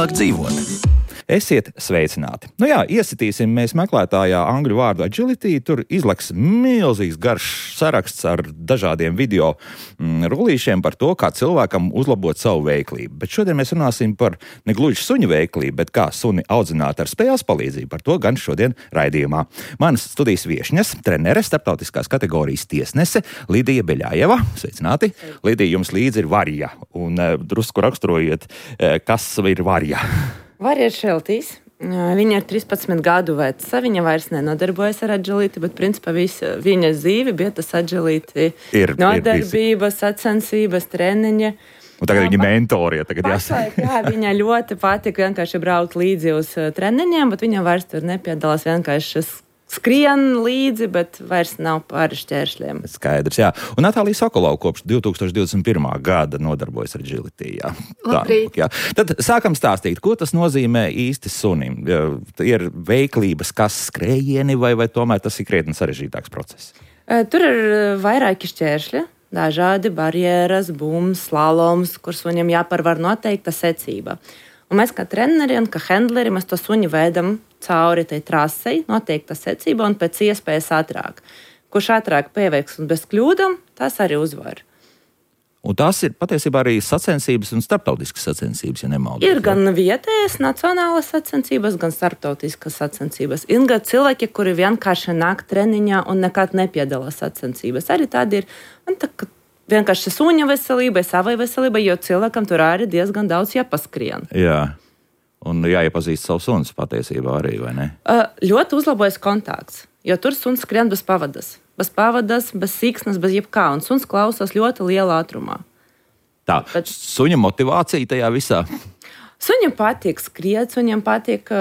vieglāk dzīvot. Esiet sveicināti. Iesitīsim mēs meklētājā angļu vārdu agility. Tur izleks milzīgs garš saraksts ar dažādiem video rullīšiem par to, kā cilvēkam uzlabot savu veiklību. Bet šodien mēs runāsim par negluži suņu veiklību, bet kā suni audzināt ar spēles palīdzību. Par to gan šodien raidījumā. Manas studijas viešņas, trenere, starptautiskās kategorijas tiesnese Lidija Beļājeva. Sveicināti. Lidija, jums līdzi ir Varja. Un drusku raksturojiet, kas ir Varja. Varja ir šeltīs. Viņa ir 13 gadu veca. Viņa vairs nenodarbojas ar agility, bet principā viņa dzīve bija tas agility nodarbības, sacensības, treniņa. Un tagad viņa mentorija. Viņa ļoti patika vienkārši braukt līdzi uz treniņiem, bet viņa vairs tur nepiedalās, vienkārši skrien līdzi, bet vairs nav pāri šķēršļiem. Skaidrs, jā. Un Natālija Sokolova kopš 2021. gada nodarbojas ar agility. Labrīt. Tad sākam stāstīt, ko tas nozīmē īsti sunim. Ir veiklības, kas skrējieni, vai tomēr tas ir krietni sarežģītāks process? Tur ir vairāki šķēršļi, dažādi barjeras, bums, slaloms, kur suņiem jāparvar noteikta secība. Un mēs kā treneri un kā handleri, mēs to suņu veidam cauri tai trasei, noteikta secība un pēc iespējas ātrāk. Kurš ātrāk pieveiks un bez kļūdām, tas arī uzvar. Un tās ir patiesībā arī sacensības un starptautiskas sacensības, ja nemaldos. Ir gan vietējas nacionālas sacensības, gan starptautiskas sacensības. Ir gan cilvēki, kuri vienkārši nāk treniņā un nekad nepiedalās sacensības. Arī tādi ir. Un vienkārši suņa veselībai, savai veselībai, jo cilvēkam tur arī diezgan daudz jāpaskrien. Jā, un jāiepazīst savu suns patiesībā arī, vai ne? Ļoti uzlabojas kontakts, jo tur suns skrien bez pavadas. Bez pavadas, bez siksnas, bez jebkā, un suns klausās ļoti lielā ātrumā. Bet suņa motivācija tajā visā? Suņam patīk skriet, suņam patīk...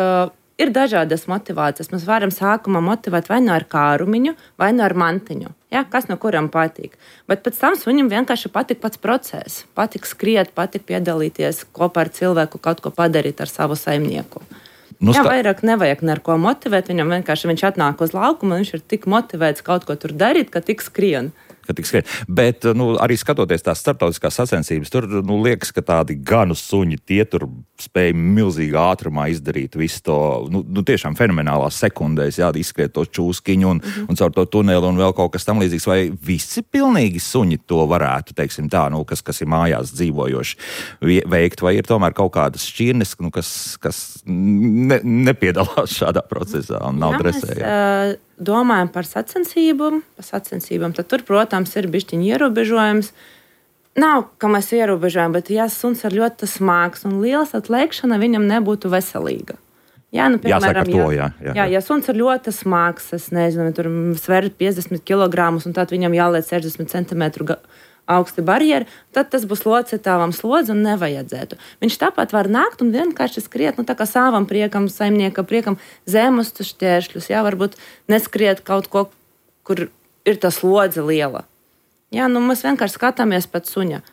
Ir dažādas motivācijas. Mēs varam sākumā motivēt vai nu ar kārumiņu, vai nu ar mantiņu. Kas no kuram patīk. Bet pēc tam suņam vienkārši patīk pats process. Patīk skriet, patīk piedalīties kopā ar cilvēku, kaut ko padarīt ar savu saimnieku. Vairāk nevajag neko motivēt. Viņam vienkārši viņš atnāk uz laukumu, un viņš ir tik motivēts kaut ko tur darīt, ka tik skrien. Bet arī skatoties tās starptautiskās sacensības, tur liekas, ka tādi ganu suņi, tie tur spēj milzīgā ātrumā izdarīt visu to, tiešām fenomenālās sekundēs, izskriet to čūskiņu un caur to tuneli un vēl kaut kas tam līdzīgs. Vai visi pilnīgi suņi to varētu, teiksim tā, kas ir mājās dzīvojoši veikt, vai ir tomēr kaut kādas šķirnes, kas nepiedalās šādā procesā un nav dresē? Domājam par sacensībām, tad tur, protams, ir bišķiņi ierobežojums. Nav, ka mēs ierobežojam, bet ja suns ir ļoti smags un liels, atliekšana viņam nebūtu veselīga. Jāsaka to, jā. Ja suns ir ļoti smags, es nezinu, tur sver 50 kg un tad viņam jāliec 60 cm augsti barjeri, tad tas būs locītāvam slodzi un nevajadzētu. Viņš tāpat var nākt un vienkārši skriet, tā kā savam priekam, saimnieka priekam, zemus šķēršļus, varbūt neskriet kaut ko, kur ir tā slodze liela. Mēs vienkārši skatāmies pēc suņa.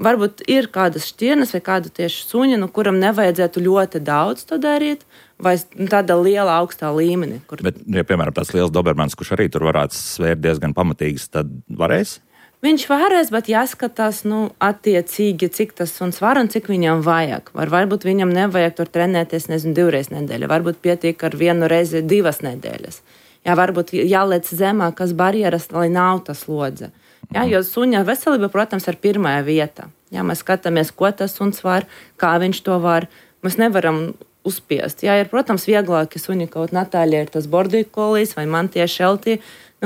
Varbūt ir kādas šķirnes vai kāda tieši suņa, kuram nevajadzētu ļoti daudz to darīt, vai tāda liela augstā līmenī. Bet, piemēram, tāds liels dobermans, kurš arī tur varētu svērt diezgan pamatīgs, tad varēs? Viņš varēs, bet jāskatās, attiecīgi, cik tas suns var un cik viņam vajag. Varbūt viņam nevajag tur trenēties, 2 reizes nedēļā. Varbūt pietiek ar 1 reizi 2 nedēļas. Varbūt jāliec zemākas barjeras, lai nav tas slodze. Jo suņa veselība, protams, ir pirmā vieta. Mēs skatāmies, ko tas suns var, kā viņš to var. Mēs nevaram uzspiest. Ir, protams, vieglāki suņi, kaut Natāļa ir tas border collies vai man tie šeltī,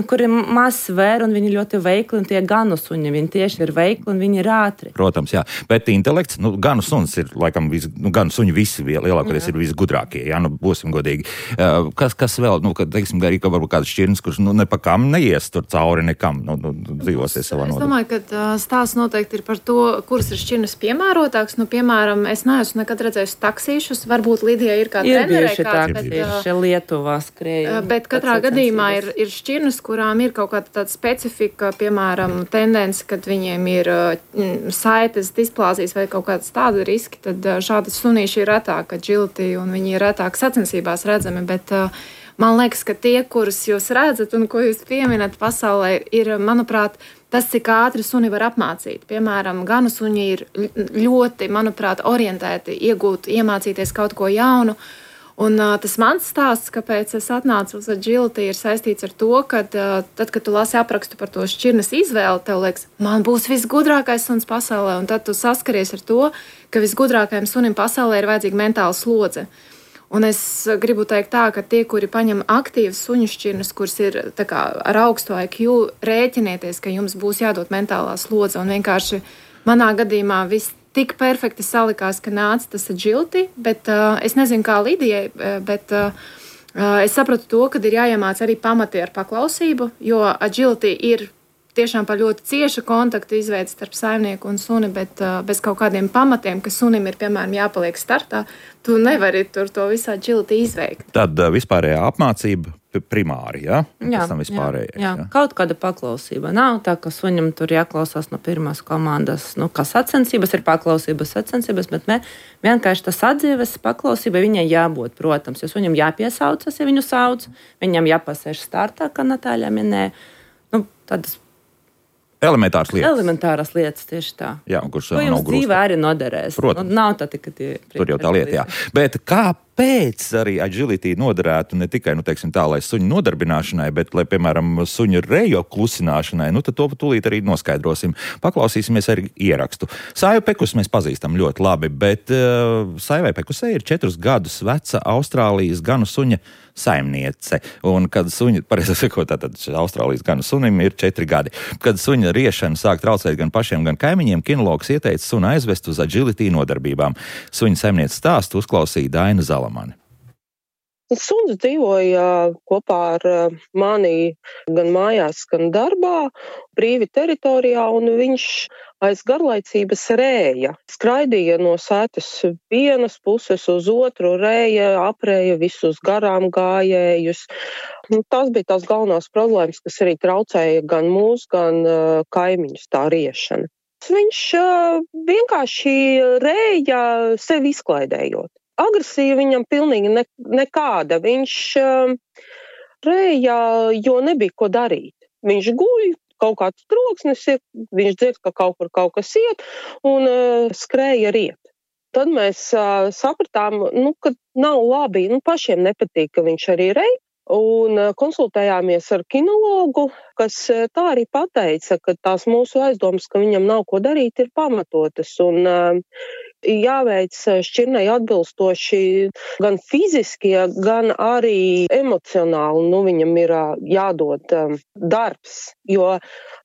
kuri maz svēr un viņi ļoti veikli, un tie ganu suņi, viņi tieši ir veikli un viņi ir ātri. Protams, jā. Bet intelekts, ganu suns ir, laikam, ganu suņi visi lielākoties ir visgudrākie, būsim godīgi. Kas vēl, teiksim, arī varbūt kāds šķirnes, kurš nepakam neies tur cauri nekam, dzīvosies savā nodā. Es domāju, ka stāsts noteikti ir par to, kuras ir šķirnes piemērotāks. Piemēram, es neesmu nekad redzējis taksīšus, varbūt Lidija ir kā trenerē kāds, bet Lietuvā skrēja. Bet katrā gadījumā ir šķirnes, kurām ir kaut kāda tāda specifika, piemēram, tendence, kad viņiem ir saites displāzijas vai kaut kādas tāda riski, tad šādi sunīši ir retāk agility un viņi ir retāk sacensībās redzami, bet man liekas, ka tie, kurus jūs redzat un ko jūs pieminat pasaulē, ir, manuprāt, tas, cik ātri suni var apmācīt. Piemēram, ganu suņi ir ļoti, manuprāt, orientēti, iemācīties kaut ko jaunu. Un tas mans stāsts, kāpēc es atnācu uz agility, ir saistīts ar to, ka tad, kad tu lasi aprakstu par to šķirnes izvēli, tev liekas, man būs visgudrākais suns pasaulē, un tad tu saskaries ar to, ka visgudrākajam sunim pasaulē ir vajadzīga mentāla slodze. Un es gribu teikt tā, ka tie, kuri paņem aktīvas suņu šķirnes, kuras ir tā kā ar augstu IQ, rēķinieties, ka jums būs jādod mentālā slodze, un vienkārši manā gadījumā viss tik perfekti salikās, ka nāca tas agility, bet es nezinu, kā Lidijai, bet es sapratu to, ka ir jāiemāc arī pamati ar paklausību, jo agility ir tiešām par ļoti ciešu kontaktu izveidi starp saimnieku un suni, bet bez kaut kādiem pamatiem, ka sunim ir, piemēram, jāpaliek startā, tu nevari tur to visu agility izveikt. Tad vispārējā apmācība primāri, ja? Jā, kaut kāda paklausība. Nav tā, ka suņam tur jāklausās no pirmās komandas, kā sacensības ir paklausības, bet vienkārši tas atdzīves paklausība viņai jābūt, protams, jo suņam jāpiesaucas, ja viņu sauc, viņam jāpasēž startā, kā Natāļa minēja. Tādas elementāras lietas tieši tā. Jā, kurš to jums dzīvē arī noderēs. Protams. Nav tā tikai tie. Tur jau tā lieta, jā. Bet kāpēc arī agility noderētu ne tikai, teiksim tā, lai suņu nodarbināšanai, bet, lai, piemēram, suņu rejo klusināšanai, tad to tūlīt arī noskaidrosim. Paklausīsimies arī ierakstu. Saivu Pekus mēs pazīstam ļoti labi, bet Saivai Pekusei ir 4 gadus veca Austrālijas ganu suņa saimniece. Un kad suņa, pareizi sakot, tātad Austrālijas ganu sunim ir 4 gadi. Kad suņa riešana sāk traucēt gan pašiem, gan kaimiņiem, kinologs ieteica sunu aizvest uz agility nodarbībām. Suņa saimnieces stāstu uzklausīja Daina Zalamani. Suns dzīvoja kopā ar mani gan mājās, gan darbā, brīvi teritorijā, un viņš aiz garlaicības rēja. Skraidīja no sētas vienas puses uz otru, rēja, aprēja visus garām gājējus. Tās bija tās galvenās problēmas, kas arī traucēja gan mūs, gan kaimiņus tā riešana. Viņš vienkārši rēja sevi izklaidējot. Agresija viņam pilnīgi nekāda. Viņš rēja, jo nebija ko darīt. Viņš guļ, kaut kāds troksnis ir, viņš dzird, ka kaut kur kaut kas iet un skrēja riet. Tad mēs sapratām, ka nav labi, pašiem nepatīk, ka viņš arī rēja. Un konsultējāmies ar kinologu, kas tā arī pateica, ka tās mūsu aizdomas, ka viņam nav ko darīt, ir pamatotas. Un jāveic šķirnei atbilstoši gan fiziski, gan arī emocionāli. Viņam ir jādod darbs, jo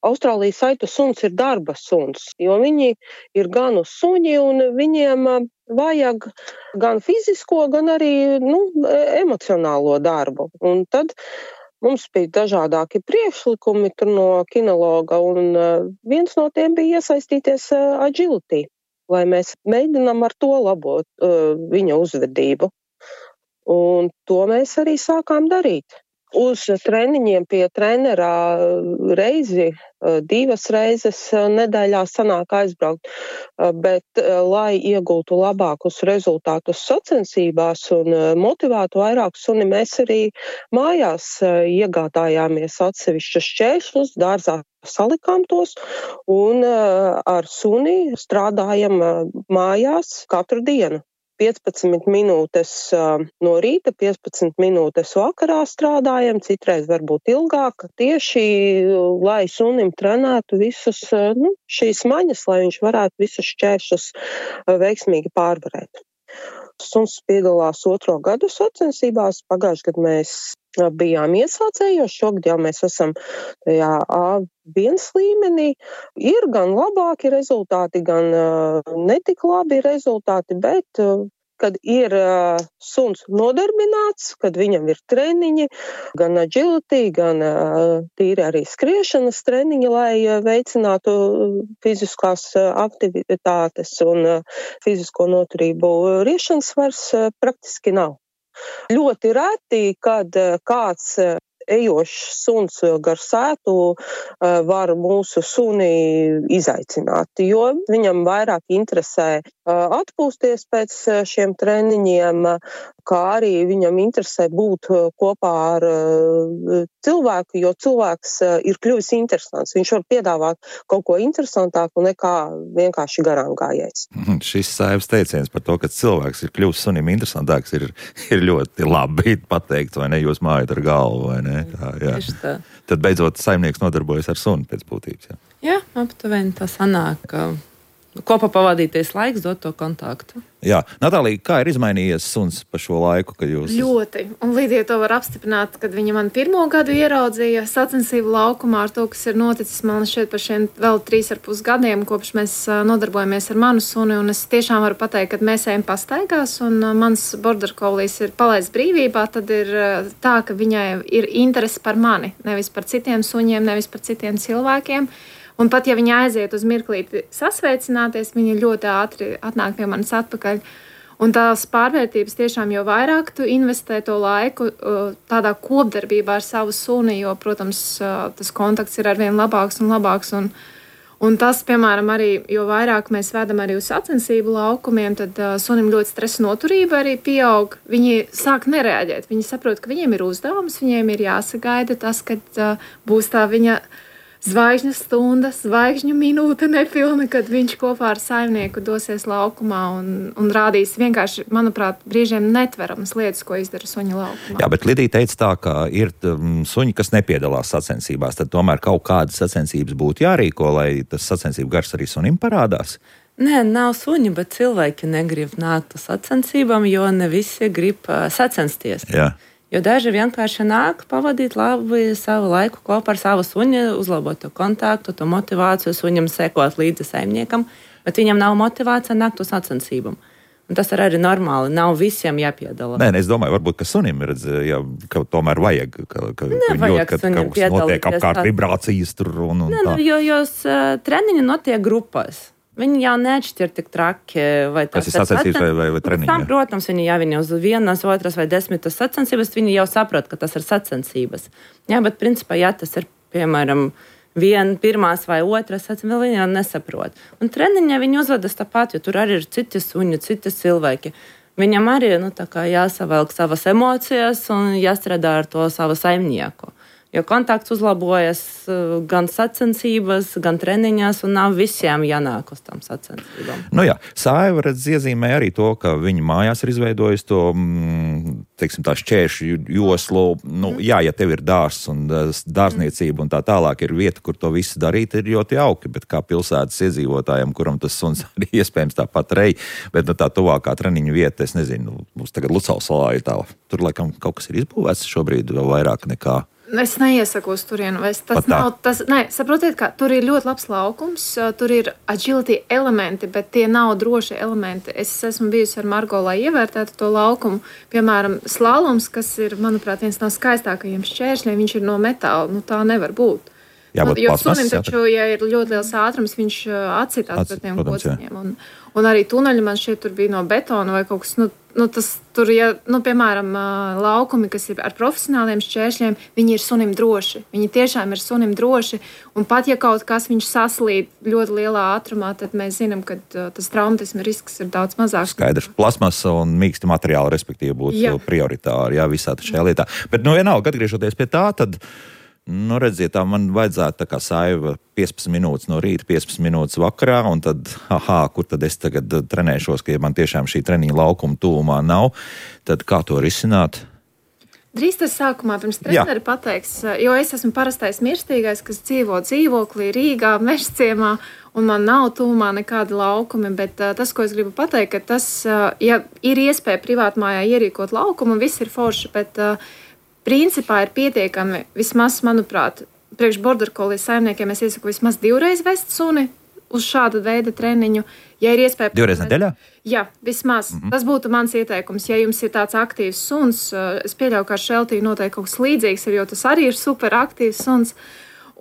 Austrālijas aitu suns ir darba suns, jo viņi ir ganu suņi un viņiem vajag gan fizisko, gan arī emocionālo darbu. Un tad mums bija dažādāki priekšlikumi no kinologa, un viens no tiem bija iesaistīties agility, lai mēs mēģinām ar to labot viņa uzvedību. Un to mēs arī sākām darīt. Uz treniņiem pie trenerā reizi, 2 reizes nedēļā sanāk aizbraukt, bet, lai iegūtu labākus rezultātus sacensībās un motivētu vairāk suni, mēs arī mājās iegādājāmies atsevišķus šķēršļus, dārzā salikām tos un ar suni strādājam mājās katru dienu. 15 minūtes no rīta, 15 minūtes vakarā strādājam, citreiz varbūt ilgāk, tieši lai sunim trenētu visus šīs maņas, lai viņš varētu visus šķēršļus veiksmīgi pārvarēt. Suns piedalās 2. gadu sacensībās, pagājušajā gadā mēs bijām iesācējos, šogad jau mēs esam tajā A1 līmenī. Ir gan labāki rezultāti, gan netik labi rezultāti, bet kad ir suns nodarbināts, kad viņam ir treniņi, gan agility, gan tīri arī skriešanas treniņi, lai veicinātu fiziskās aktivitātes un fizisko noturību, riešanas vairs praktiski nav. Ļoti reti, kad kāds ejošs suns gar sētu var mūsu suni izaicināt, jo viņam vairāk interesē atpūsties pēc šiem treniņiem, kā arī viņam interesē būt kopā ar cilvēku, jo cilvēks ir kļuvis interesants. Viņš var piedāvāt kaut ko interesantāku nekā vienkārši garām gājējs. Šis Saivas teiciens par to, ka cilvēks ir kļuvis sunim interesantāks, ir ļoti labi pateikt, vai ne? Jūs mājat ar galvu, vai ne? Tā. Tad beidzot saimnieks nodarbojas ar suni pēc būtības. Jā, aptuveni tā sanāk, ka kopā pavadīties laiks dot to kontaktu. Jā, Natālija, kā ir izmainījies suns pa šo laiku, kad jūs... Ļoti. Un Lidija to var apstiprināt, kad viņa man 1. gadu ieraudzīja sacensību laukumā ar to, kas ir noticis man šeit par šiem vēl 3,5 gadiem, kopš mēs nodarbojamies ar manu suni. Un es tiešām varu pateikt, kad mēs ejam pastaigās un mans border collie's ir palaists brīvībā, tad ir tā, ka viņai ir interese par mani, nevis par citiem suņiem, nevis par citiem cilvēkiem. Un pat ja viņi aiziet uz mirklīti sasveicināties, viņi ļoti ātri atnāk pie manis atpakaļ. Un tās pārvērtības tiešām, jo vairāk tu investē to laiku tādā kopdarbībā ar savu suni, jo, protams, tas kontakts ir arvien labāks un labāks. Un tas, piemēram, arī, jo vairāk mēs vedam arī uz sacensību laukumiem, tad sunim ļoti stresa noturība arī pieaug. Viņi sāk nereaģēt. Viņi saprot, ka viņiem ir uzdevums, viņiem ir jāsagaida tas, kad būs tā viņa zvaigžņu stunda, zvaigžņu minūte nepilna, kad viņš kopā ar saimnieku dosies laukumā un rādīs vienkārši, manuprāt, brīžiem netveramas lietas, ko izdara suņa laukumā. Jā, bet Lidija teica tā, ka ir suņi, kas nepiedalās sacensībās, tad tomēr kaut kādas sacensības būtu jārīko, lai tas sacensību gars arī sunim parādās. Nē, nav suņi, bet cilvēki negrib nākt uz sacensībām, jo ne visi grib sacensties. Jā. Jo daži vienkārši nāk pavadīt labi savu laiku kopā ar savu suni, uzlabot to kontaktu, to motivāciju, suņam sekot līdzi saimniekam, bet viņam nav motivācija nākt uz sacensībām. Un tas ir arī normāli, nav visiem jāpiedalās. Nē, es domāju, varbūt, ka sunim redz, ka tomēr vajag, ka nevajag sunim piedalīties. Notiek apkārt vibrācijas tur un nē, tā. Jo treniņi notiek grupās. Viņi jau neatšķir tik traki, vai tas ir sacensības vai treniņi. Tam, protams, viņi uz 1, 2 vai 10 sacensības, viņi jau saprot, ka tas ir sacensības. Jā, bet principā, ja tas ir, piemēram, 1, 1 vai 2 sacensības, vēl viņi jau nesaprot. Un treniņā viņi uzvedas tāpat, jo tur arī ir citi suņi, citi cilvēki. Viņam arī jāsavelk savas emocijas un jāstrādā ar to savu saimnieku. Jo kontakts uzlabojas gan sacensības, gan treniņās, un nav visiem jānāk uz tām sacensībām. Nu jā, Saiva iezīmē arī to, ka viņa mājās ir izveidojis to, teiksim, tā šķēršu joslu. Nu, jā, ja tev ir dārzs un dārzniecība un tā tālāk ir vieta, kur to visu darīt, ir ļoti jauki, bet kā pilsētas iedzīvotājiem, kuram tas suns arī iespējams tāpat rej, bet tā tuvākā treniņu vieta, es nezinu, mums tagad Lucavas salā ir tā, tur laikam kaut kas ir izbūvēts šobrīd vēl vairāk nekā. Es neiesaku uz turienu. Saprotiet, ka tur ir ļoti labs laukums, tur ir agility elementi, bet tie nav droši elementi. Es esmu bijusi ar Margo, lai ievērtētu to laukumu. Piemēram, slaloms, kas ir, manuprāt, viens no skaistākajiem šķēršļiem, viņš ir no metāla. Nu, tā nevar būt. Jo sunim taču, ja ir ļoti liels ātrums, viņš atsitās pret tiem kociņiem. Un arī tuneļi man šeit tur bija no betona vai kaut kas, tas tur, piemēram, laukumi, kas ir ar profesionāliem šķēršļiem, viņi ir sunim droši. Viņi tiešām ir sunim droši. Un pat, ja kaut kas viņš saslīd ļoti lielā ātrumā, tad mēs zinām, ka tas traumatisma risks ir daudz mazāks. Skaidrs, plasmasa un mīksti materiāli, respektīvi, būtu prioritāri, visā šajā lietā. Bet, vienalga, atgriežoties pie tā, tad redziet, tā man vajadzētu tā kā Saiva 15 minūtes no rīta, 15 minūtes vakarā, un tad, kur tad es tagad trenēšos, ka ja man tiešām šī treniņa laukuma tuvumā nav, tad kā to risināt? Drīz tas sākumā pirms treneri pateiks, jo es esmu parastais mirstīgais, kas dzīvo dzīvoklī Rīgā, Mežciemā, un man nav tuvumā nekādi laukumi, bet tas, ko es gribu pateikt, ka tas, ja ir iespēja privātmājā ierīkot laukumu, viss ir forši, bet principā ir pietiekami, vismaz, manuprāt, priekš border collie saimniekiem es iesaku vismaz 2 reizes vest suni uz šādu veidu treniņu. Ja ir iespēja... 2 reizes nedēļā? Jā, vismaz. Tas būtu mans ieteikums. Ja jums ir tāds aktīvs suns, es pieļauju, ka ar šeltī noteikti kaut kas līdzīgs ir, jo tas arī ir super aktīvs suns.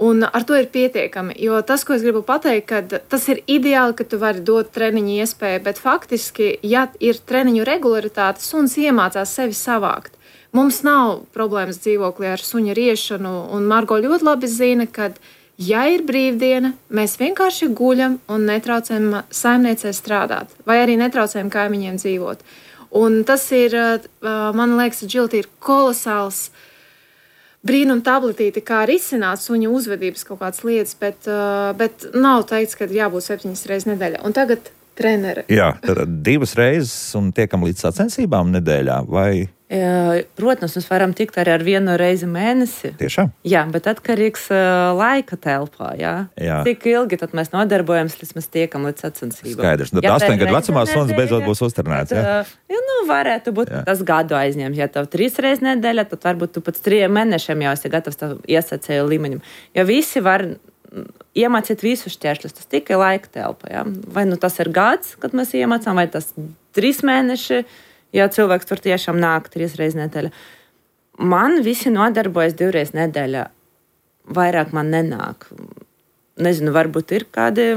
Un ar to ir pietiekami, jo tas, ko es gribu pateikt, ka tas ir ideāli, ka tu vari dot treniņu iespēju, bet faktiski, ja ir treniņu regularitāte, suns iemācās sevi savākt. Mums nav problēmas dzīvoklī ar suņa riešanu, un Margo ļoti labi zina, ka, ja ir brīvdiena, mēs vienkārši guļam un netraucējam saimniecei strādāt, vai arī netraucējam kaimiņiem dzīvot. Un tas ir, man liekas, agility ir kolosāls brīnum tabletīti, kā risināt suņa uzvedības kaut kādas lietas, bet nav teikts, ka jābūt 7 reizes nedēļā. Un tagad trenere. Jā, tad 2 reizes un tiekam līdz sacensībām nedēļā, vai? Protams, mēs varam tikt arī ar 1 reizi mēnesi. Tiešām? Jā, bet atkarīgs laika telpā, jā. Cik ilgi tad mēs nodarbojamies, līdz mēs tiekam līdz sacensībām. Skaidrs. Tad 8 gadu vecumā suns beidzot būs uztrenēts, jā? Varētu būt tas gadu aizņemt. Ja tev 3 reizes nedēļā, tad varbūt tu pēc 3 mēnešiem jau esi gatavs tavu iesacēju līmeņam. Jo visi var iemācīt visus šķēršļus, tas tikai laika telpa. Ja? Vai nu tas ir gads, kad mēs iemācām, vai tas 3 mēneši, ja cilvēks tur tiešām nāk 3 reizes nedēļā. Man visi nodarbojas 2 reizes nedēļā. Vairāk man nenāk. Nezinu, varbūt ir kādi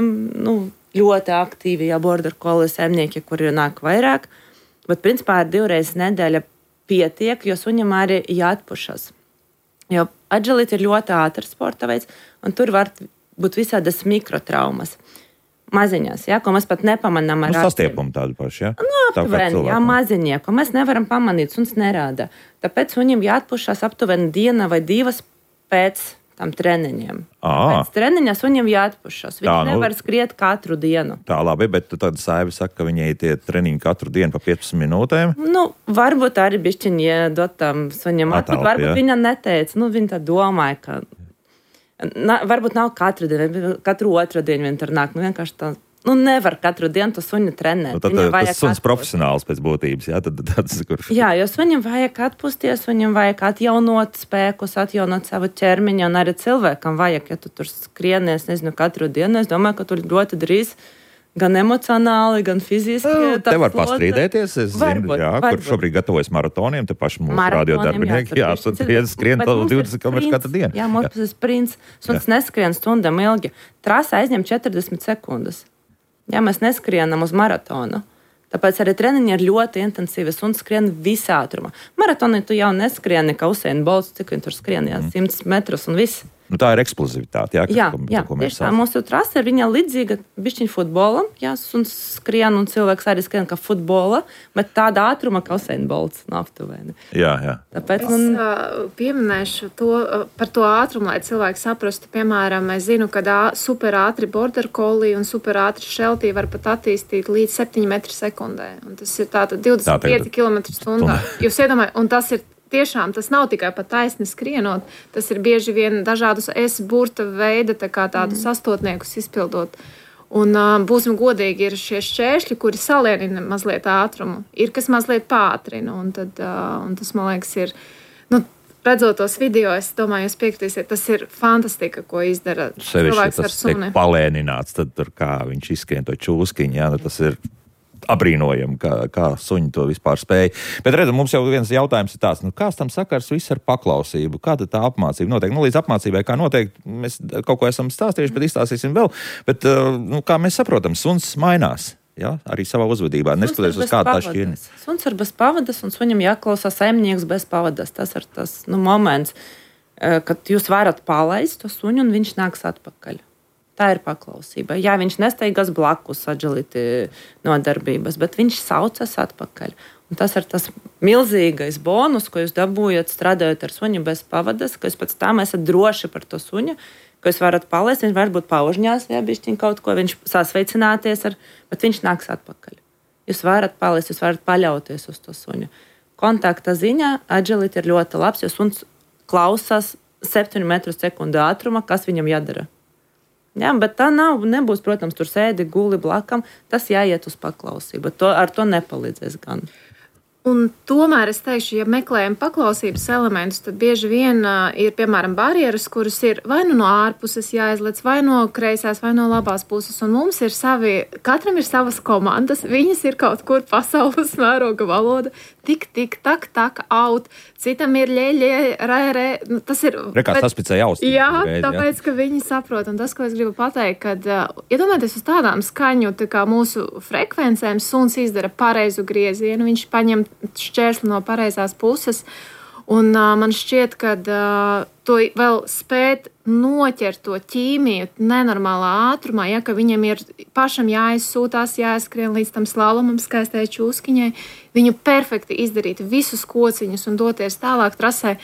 ļoti aktīvi, border collie saimnieki, kuri nāk vairāk. Bet, principā, ar 2 reizes nedēļa pietiek, jo suņam arī jāatpušas. Jo agility ir ļoti ātrs sporta veids, un tur var būt visādas mikrotraumas. Maziņās, ko mēs pat nepamanām ar acīm. Sastiepumi tādi paši, jā? Aptuveni, maziņie, ko mēs nevaram pamanīt, suns nerāda. Tāpēc suņam jāatpušas aptuveni 1 vai 2 pēc tam treniņiem. Pēc treniņa suņam jāatpušas. Viņš nevar skriet katru dienu. Tā, labi, bet tad Saiva saka, ka viņai tie treniņi katru dienu pa 15 minūtēm? Varbūt arī bišķiņi iedot tam suņam atpūt. Varbūt viņa neteica, viņa tā domāja, ka varbūt nav katru dienu, katru otru dienu viņa tur nāk. Vienkārši tā. Nevar katru dienu to suņu trenēt. Tad tas suns profesionāls pēc būtības, jā? Jā, jo suņam vajag atpūsties, viņam vajag atjaunot spēkus, atjaunot savu ķermiņu, un arī cilvēkam vajag, ja tu tur skrienies, nezinu, katru dienu. Es domāju, ka tu ļoti drīz gan emocionāli, gan fiziski. Te var pastrīdēties, es zinu, kur šobrīd gatavojas maratoniem, te paši mūsu radiodarbinieki, skrien 20 km katru dienu. Jā, mums ir sprints, suns neskrien stundam ilgi. Trasa aizņem 40 sekundes. Ja mēs neskrienam uz maratonu, tāpēc arī treniņi ir ļoti intensīvi un skrien visā ātrumā. Maratonī tu jau neskrieni, kā Usain Bolts, cik viņi tur skrien, 100 metrus un viss. Tā ir eksplozivitāte, jā, tieši tā. Mūsu trasa ir viņa līdzīga bišķiņ futbolam, suns skrien un cilvēks arī skrien kā futbola, bet tāda ātruma kā Usain Bolts aptuveni. Jā. Tāpēc es pieminēšu par to ātrumu, lai cilvēki saprastu. Piemēram, es zinu, ka super ātri border collie un super ātri sheltie var pat attīstīt līdz 7 metru sekundē. Un tas ir tātad 25 km/h. Jūs iedomājat, un tas ir tiešām tas nav tikai pa taisni skrienot, tas ir bieži vien dažādus burta veida tādus astotniekus izpildot. Un būsim godīgi, ir šie šķēršļi, kuri salienina mazliet ātrumu. Ir, kas mazliet pātrina, un tas, man liekas, ir, redzot tos video, es domāju, jūs piekritīsiet, tas ir fantastika, ko izdara cilvēks ar suni. Sevišķi tas tiek palēnināts, tad tur kā viņš izskrien to čūskiņu, tas ir abrīnojami, kā suņi to vispār spēja. Bet redz, mums jau viens jautājums ir tāds, kāds tam sakars viss ar paklausību? Kāda tā apmācība notiek? Līdz apmācībai, kā noteikti, mēs kaut ko esam stāstījuši, bet izstāstīsim vēl. Bet, kā mēs saprotam, suns mainās, arī savā uzvedībā, neskatoties uz kādu tā šķirni. Suns ir bez pavadas, un suņam jāklausās saimnieks bez pavadas. Tas ir tas moments, kad jūs varat palaist to suņu, un viņš nāks atpakaļ. Tā ir paklausība. Jā, viņš nesteigās blakus agility nodarbības, bet viņš saucas atpakaļ. Un tas ir tas milzīgais bonus, ko jūs dabūjat strādājot ar suņu bez pavadas, ka jūs pēc tam esat droši par to suņu, ka jūs varat palaist, viņš varbūt paužņās, bišķiņ kaut ko, viņš sasveicināties, bet viņš nāks atpakaļ. Jūs varat palaist, jūs varat paļauties uz to suņu. Kontakta ziņā agility ir ļoti labs, jo suns klausās 7 metru sekundu ātruma, kas viņam jādara. Jā, bet tā nebūs, protams, tur sēdi, guli blakam. Tas jāiet uz paklausību. Ar to nepalīdzēs gan. Un tomēr es teikšu, ja meklējam paklausības elementus, tad bieži vien ir, piemēram, barjeras, kuras ir vai no ārpuses jāizlec, vai no kreisās, vai no labās puses. Un mums ir katram ir savas komandas, viņas ir kaut kur pasaules mēroga valoda. Tik, tak, out. Citam ir rē. Tas ir... Rekās saspicēja austiņu. Jā, tāpēc, ka viņi saprot. Un tas, ko es gribu pateikt, kad, iedomājieties uz tādām skaņu, kā mūsu frekvencēm, suns izdara pareizu griezienu, viņš paņem šķērsli no pareizās puses. Un man šķiet, ka to vēl spēt noķert to ķīmiju nenormālā ātrumā, ja, ka viņam ir pašam jāizsūtās, jāizskrien līdz tam slalomam skaistajai čūskiņai, viņu perfekti izdarīt visus kociņus un doties tālāk trasē.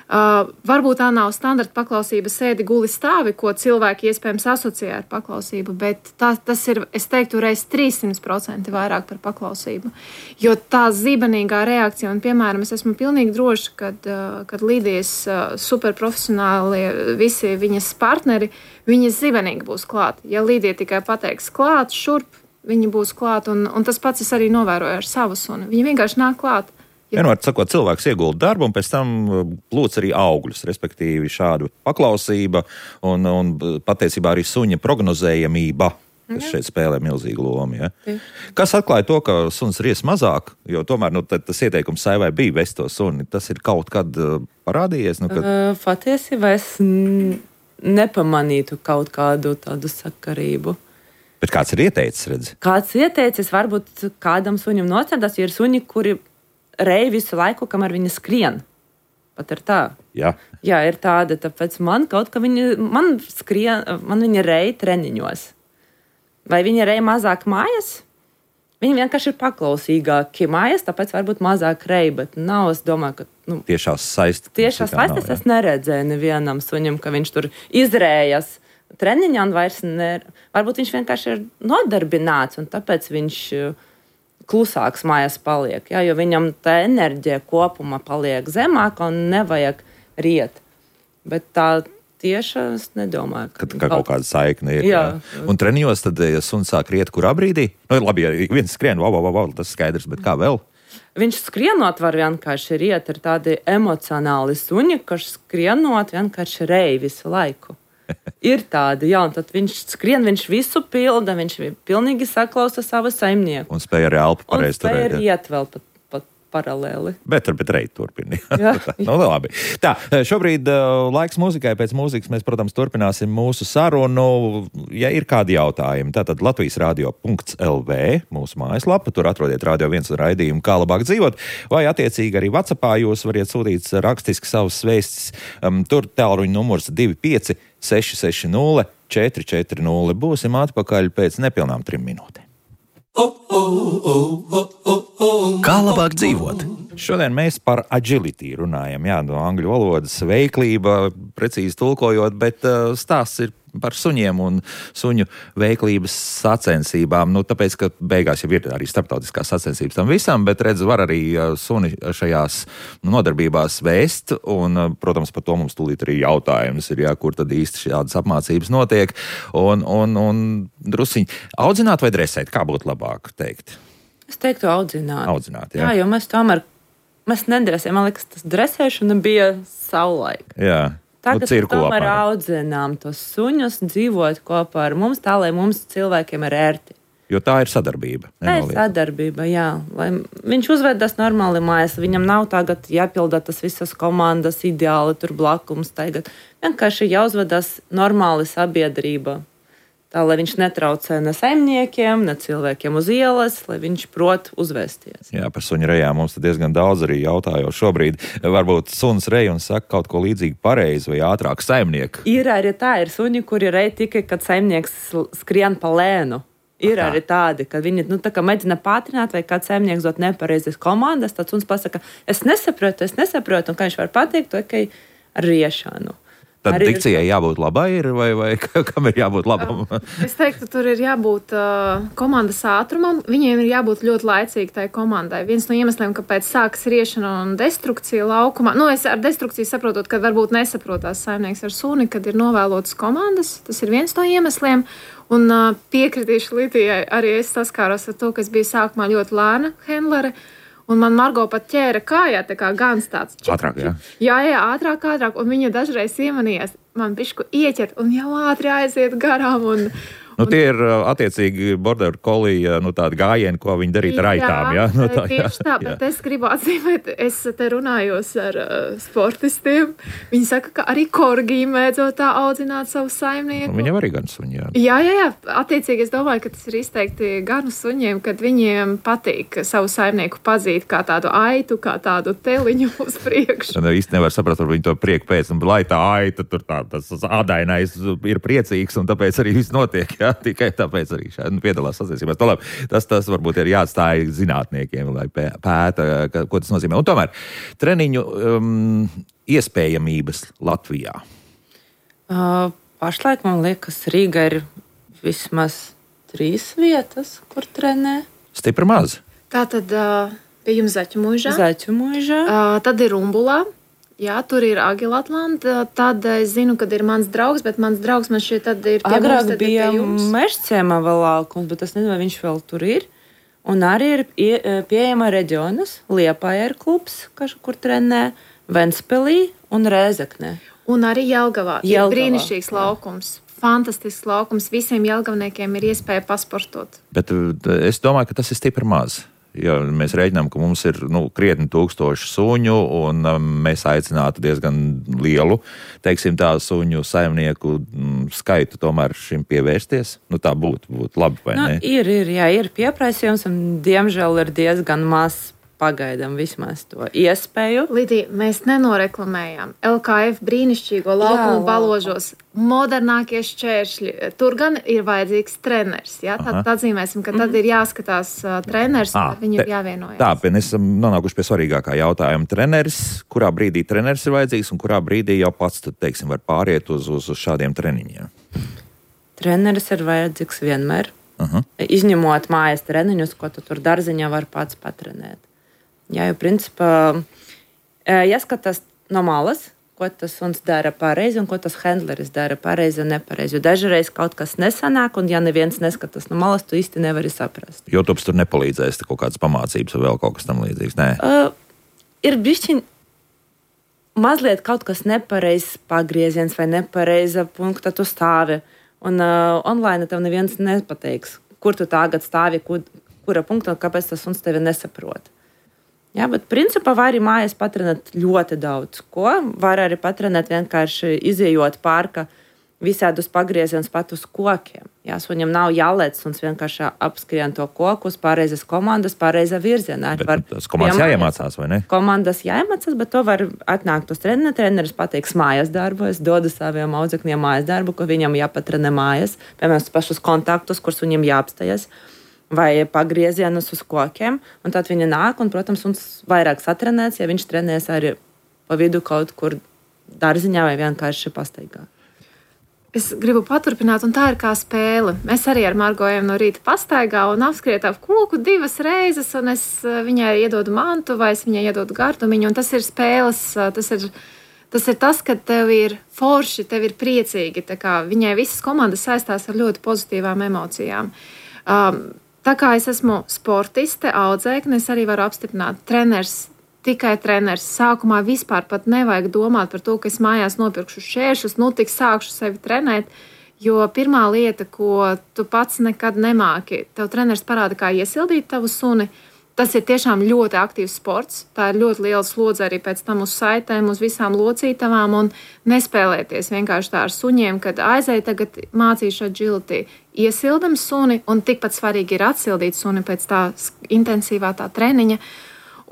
Varbūt tā nav standarta paklausība sēdi guli stāvi, ko cilvēki iespējams asociē ar paklausību, bet tas ir, es teiktu, reiz 300% vairāk par paklausību. Jo tā zibenīgā reakcija, un piemēram, es esmu pilnīgi droša, kad Lidijas superprofesionālie visi viņas partneri, viņi zibenīgi būs klāt. Ja Lidija tikai pateiks klāt, šurp, viņi būs klāt, un tas pats es arī novēroju ar savu suni. Viņi vienkārši nāk klāt. Vienmēr sakot, cilvēks iegulda darbu un pēc tam plūc arī augļus, respektīvi šādu paklausība un patiesībā arī suņa prognozējamība, kas šeit spēlē milzīgu lomu. Ja? Kas atklāja to, ka suns ries mazāk, jo tomēr tas ieteikums saivai bija vest to suni, tas ir kaut kad parādījies? Patiesībā es nepamanītu kaut kādu tādu sakarību. Bet kāds ir ieteicis, redzi? Kāds ieteicis, varbūt kādam suņam nocentās, jo ir suņi, kuri rej visu laiku, kamēr viņa skrien. Pat ir tā. Jā, ir tāda, tāpēc man kaut kā man viņa rej treniņos. Vai viņa rej mazāk mājas? Viņi vienkārši ir paklausīgāki mājas, tāpēc varbūt mazāk rej, bet nav, es domāju, ka... Tiešās saistes. Tiešās saistes es neredzēju nevienam suņam, ka viņš tur izrējas treniņā un vairs varbūt viņš vienkārši ir nodarbināts, un tāpēc viņš... klusāks mājās paliek, jo viņam tā enerģija kopumā paliek zemāka un nevajag riet. Bet tā tieši es nedomāju, ka kaut kāda saikne ir. Jā. Un treniņos tad, ja suns sāk riet, kurā brīdī? Labi, ja viens skrien, tas skaidrs, bet kā vēl? Viņš skrienot var vienkārši riet, ir tādi emocionāli suņi, kas skrienot vienkārši rej visu laiku. Ir tādi, un tad viņš skrien, viņš visu pilda, viņš pilnīgi saklausa savu saimnieku. Un spēja arī elpu pareizi turēt. Un spēja riet vēl pat paralēli. Bet reit turpini. Labi. Tā, šobrīd laiks mūzikai. Pēc mūzikas mēs, protams, turpināsim mūsu sarunu. Ja ir kādi jautājumi, tātad latvijasradio.lv, mūsu mājaslapa, tur atrodiet Radio 1 raidījumu Kā labāk dzīvot, vai attiecīgi arī WhatsAppā jūs variet sūtīt rakstiski savus vēstis. Tur tālruņa numurs 25 660 440. Būsim atpakaļ pēc nepilnām 3 minūtēm. Kā labāk dzīvot? Šodien mēs par agility runājam, no angļu valodas veiklība, precīzi tulkojot, bet stāsts ir par suņiem un suņu veiklības sacensībām. Tāpēc, ka beigās jau ir arī starptautiskās sacensības tam visam, bet redz, var arī suni šajās nodarbībās vēst, un, protams, par to mums tūlīt arī jautājums ir, kur tad īsti šādas apmācības notiek, un drusiņi audzināt vai dresēt, kā būtu labāk teikt? Es teiktu audzināt. Audzināt, jā. Jā, jo mēs nedresējam, man liekas, tas dresēšana bija savulaik. Jā. Tagad mēs tomēr audzinām tos suņus, dzīvot kopā ar mums, tā, lai mums cilvēkiem ir ērti. Jo tā ir sadarbība. Tā ir sadarbība, jā. Lai viņš uzvedas normāli mājās, viņam nav tagad jāpilda tas visas komandas ideāli tur blakums tagad. Vienkārši jāuzvedas normāli sabiedrība. Tā, lai viņš netraucē ne saimniekiem, ne cilvēkiem uz ielas, lai viņš prot uzvesties. Jā, par suņu rejām mums diezgan daudz arī jautājo šobrīd. Varbūt suns rej un saka kaut ko līdzīgi pareizi vai ātrāk saimnieku. Ir arī tā, ir suņi, kuri rej tikai, kad saimnieks skrien pa lēnu. Ir arī tādi, kad viņi tā kā mēģina pātrināt vai kāds saimnieks dot nepareizes komandas, tad suns pasaka, es nesaprotu, un kā viņš var pateikt, to tikai ar riešanu. Tad dikcijai jābūt labai vai kam ir jābūt labam? Es teiktu, tur ir jābūt komandas ātrumam. Viņiem ir jābūt ļoti laicīgi tai komandai. Viens no iemesliem, kāpēc sākas riešana un destrukcija laukumā. Es ar destrukciju saprotot, ka varbūt nesaprotās saimnieks ar suni, kad ir novēlotas komandas. Tas ir viens no iemesliem. Un piekritīšu Lidijai, arī es saskāros ar to, ka es biju sākumā ļoti lēna hendlere. Un man Margo pat ķēra kājā, tā kā gans tāds. Ātrāk, jā. Jā, ātrāk. Un viņa dažreiz iemanījās man bišku ieķert un jau ātri aiziet garām. Nu, tie ir attiecīgi border collie, tādi gājieni, ko viņi darīt ar aitām, jā? Tieši tā, bet es gribu atzīmēt, es te runājos ar sportistiem. Viņi saka, ka arī korgī mēdzo tā audzināt savu saimnieku. Viņam arī gan suņi, jā. Jā. Attiecīgi es domāju, ka tas ir izteikti ganu suņiem, kad viņiem patīk savu saimnieku pazīt kā tādu aitu, kā tādu teliņu uz priekšu. Īsti nevar saprast, varbūt viņi to prieku pēc, un lai tā aita tur tas ādainais ir priecīgs, un tāpēc arī viss notiek, jā, tikai tāpēc arī šādi piedalās sacensībās. Tas varbūt ir jāatstāj zinātniekiem, lai pēta, ko tas nozīmē. Un tomēr treniņu iespējamības Latvijā. Pašlaik, man liekas, Rīga ir vismaz 3 vietas, kur trenē. Stipri maz. Tātad pie jums Zaķu mūžā. Tad ir Rumbulā. Jā, tur ir Agilatlanda. Tad es zinu, kad ir mans draugs, bet mans draugs man šķiet tad ir pie Agrāk mums, tad bija ir pie jums. Mežciemā vēl laukums, bet es nezinu, vai viņš vēl tur ir. Un arī ir pieejama reģionas. Liepāja ir klubs, kur trenē, Ventspilī un Rēzeknē. Un arī Jelgavā. Ir brīnišķīgs laukums. Fantastisks laukums. Visiem jelgavniekiem ir iespēja pasportot. Bet es domāju, ka tas ir stipri maz. Ja mēs rēķinām, ka mums ir krietni 1000 suņu, un mēs aicinātu diezgan lielu, teiksim tā, suņu saimnieku skaitu tomēr šim pievērsties. Tā būtu labi, vai ne? Ir pieprasījums, un diemžēl ir diezgan maz pagaidām vismaz to iespēju. Lidija, mēs nenoreklamējām LKF brīnišķīgo laukumu Baložos. Modernākie šķēršļi. Tur gan ir vajadzīgs treneris. Ja? Tad atzīmēsim, ka tad ir jāskatās treneris, un viņi ir jāvienojas. Tā, mēs esam nonākuši pie svarīgākā jautājuma. Treneris, kurā brīdī treneris ir vajadzīgs, un kurā brīdī jau pats, teiksim, var pāriet uz šādiem treniņiem? Treneris ir vajadzīgs vienmēr. Izņemot mājas treniņus, ko tu tur darziņā var pats patrenēt. Jā, jo principā jāskatās no malas, ko tas suns dara pareizi un ko tas handleris dara pareizi un nepareizi. Jo dažreiz kaut kas nesanāk, un ja neviens neskatās no malas, tu īsti nevari saprast. YouTube's tur nepalīdzēs kaut kādas pamācības vai vēl kaut kas tam līdzīgs, nē? Ir bišķiņ mazliet kaut kas nepareizs pagrieziens vai nepareiza punkta tu stāvi. Un online tev neviens nepateiks, kur tu tagad stāvi, kura punkta, kāpēc tas suns tevi nesaprot. Jā, bet principā var arī mājās patrenēt ļoti daudz ko. Var arī patrenēt vienkārši izejot pārka visādus pagriezienus pat uz kokiem. Jā, suņam nav jālec, suns vienkārši apskrien to koku uz pareizas komandas, pareizā virzienā. Tas komandas jāiemācās, vai ne? Komandas jāiemācās, bet to var atnākt uz treniņu. Treneris pateiks mājas darbu. Es dodu saviem audzekļiem mājas darbu, ko viņam jāpatrenē mājas. Piemēram, pašus kontaktus, kur suņam jāapstājas. Vai pagriezienus uz kokiem, un tad viņi nāk, un, protams, mums vairāk satrenēts, ja viņš trenēs arī pa vidu kaut kur dārziņā vai vienkārši pastaigā. Es gribu paturpināt, un tā ir kā spēle. Mēs arī ar Margo ejam no rīta pastaigā un apskriet ap koku 2 reizes, un es viņai iedodu mantu vai es viņai iedodu gardumiņu, un tas ir spēles, tas ir tas, ka tev ir forši, tev ir priecīgi. Tā kā viņai visas komandas saistās ar ļoti pozitīvām emocijām. Tā kā es esmu sportiste, audzēkne, es arī varu apstiprināt treneris, tikai treneris. Sākumā vispār pat nevajag domāt par to, ka es mājās nopirkšu šķēršļus, tik sākšu sevi trenēt, jo pirmā lieta, ko tu pats nekad nemāki, tev treneris parāda, kā iesildīt tavu suni. Tas ir tiešām ļoti aktīvs sports. Tā ir ļoti liela slodze arī pēc tam uz saitēm, uz visām locītavām un nespēlēties vienkārši tā ar suņiem, kad aizēja tagad mācīšu agility. Iesildam suni un tikpat svarīgi ir atsildīt suni pēc tā intensīvā tā treniņa.